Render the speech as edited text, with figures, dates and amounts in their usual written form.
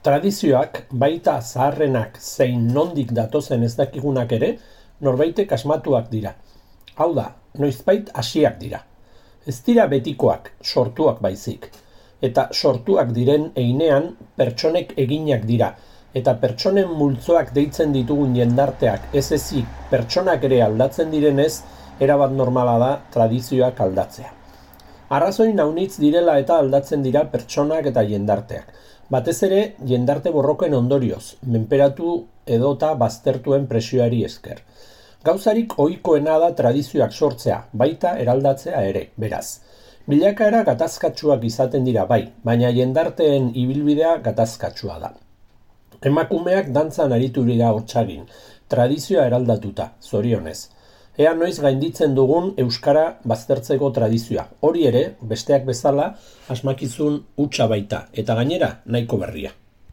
Tradizioak, baita zaharrenak zein nondik datozen ez dakigunak ere, norbaitek asmatuak dira. Hau da, noizbait hasiak dira. Ez dira betikoak, sortuak baizik. Eta sortuak diren heinean pertsonek eginak dira, eta pertsonen multzoak deitzen ditugun jendarteak ez ezik pertsonak ere aldatzen direnez, erabat normala da tradizioak aldatzea. Arrazoi naunitz direla eta aldatzen dira pertsonak eta jendarteak. Batez ere, jendarte borroken ondorioz, menperatu edota baztertuen presioari esker. Gauzarik ohikoena da tradizioak sortzea, baita eraldatzea ere, beraz. Bilakaera gatazkatsuak izaten dira bai, baina jendarteen ibilbidea gatazkatsua da. Emakumeak dantzan aritu dira hotsagin, tradizioa eraldatuta, zorionez. Ea noiz gainditzen dugun euskara baztertzeko tradizioa. Hori ere, besteak bezala, asmakizun hutsa baita, eta gainera nahiko berria.